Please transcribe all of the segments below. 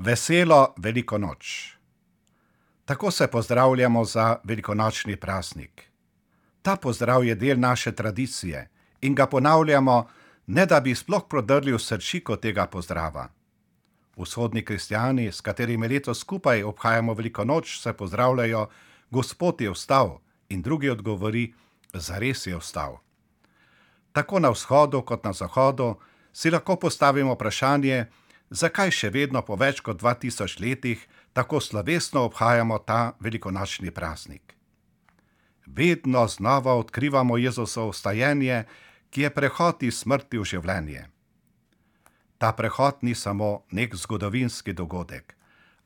Veselo veliko noč. Tako se pozdravljamo za velikonočni praznik. Ta pozdrav je del naše tradicije in ga ponavljamo, ne da bi sploh prodrli v srčiko tega pozdrava. Vzhodni kristjani, s katerimi letos skupaj obhajamo veliko noč, se pozdravljajo: Gospod je vstal, in drugi odgovori: zares je vstal. Tako na vzhodu kot na zahodu si lahko postavimo vprašanje, zakaj še vedno po več kot 2000 letih tako slovesno obhajamo ta velikonočni praznik. Vedno znova odkrivamo Jezusovo vstajenje, ki je prehod iz smrti v življenje. Ta prehod ni samo nek zgodovinski dogodek,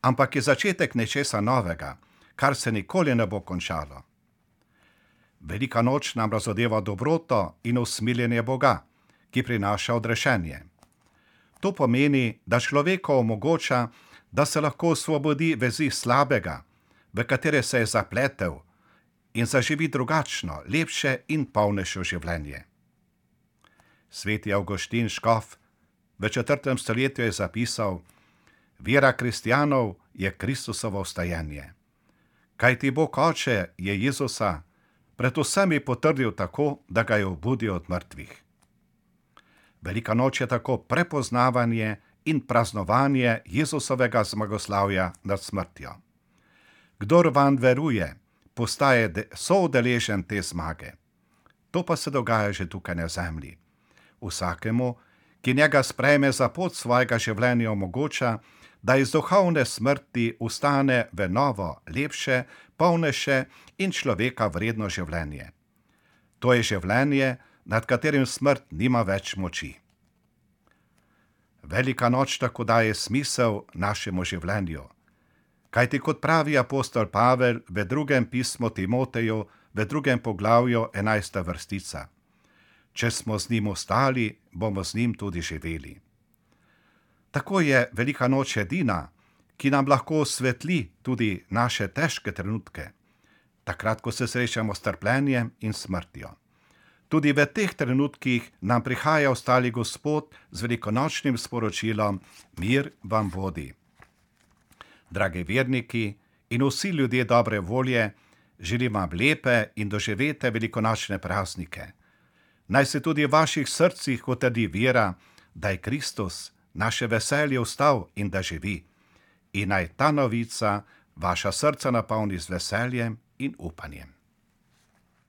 ampak je začetek nečesa novega, kar se nikoli ne bo končalo. Velika noč nam razodeva dobroto in usmiljenje Boga, ki prinaša odrešenje. To pomeni, da človeku omogoča, da se lahko osvobodi vezi slabega, v katere se je zapletel, in zaživi drugačno, lepše in polnejše življenje. Sveti Avguštin škof v 4. stoletju je zapisal: vera kristjanov je Kristusovo vstajenje. Kajti Bog Oče je Jezusa pred vsemi potrdil tako, da ga je obudil od mrtvih. Velika noč je tako prepoznavanje in praznovanje Jezusovega zmagoslavja nad smrtjo. Kdor vanj veruje, postaje soudeležen te zmage. To pa se dogaja že tukaj na zemlji. Vsakemu, ki njega sprejme za pot svojega življenja, omogoča, da iz duhovne smrti vstane v novo, lepše, polnejše in človeka vredno življenje. To je življenje, nad katerim smrt nima več moči. Velika noč tako daje smisel našemu življenju. Kajti kot pravi apostol Pavel v 2. pismu Timoteju, v 2. poglavju 11. vrstica: če smo z njim ostali, bomo z njim tudi živeli. Tako je velika noč edina, ki nam lahko osvetli tudi naše težke trenutke, takrat, ko se srečamo s trpljenjem in smrtjo. Tudi v teh trenutkih nam prihaja ostali Gospod z velikonočnim sporočilom: mir vam bodi. Dragi verniki in vsi ljudje dobre volje, želim vam lepe in doživete velikonočne praznike. Naj se tudi v vaših srcih utrdi vera, da je Kristus, naše veselje, vstal in da živi. In naj ta novica vaša srca napolni z veseljem in upanjem.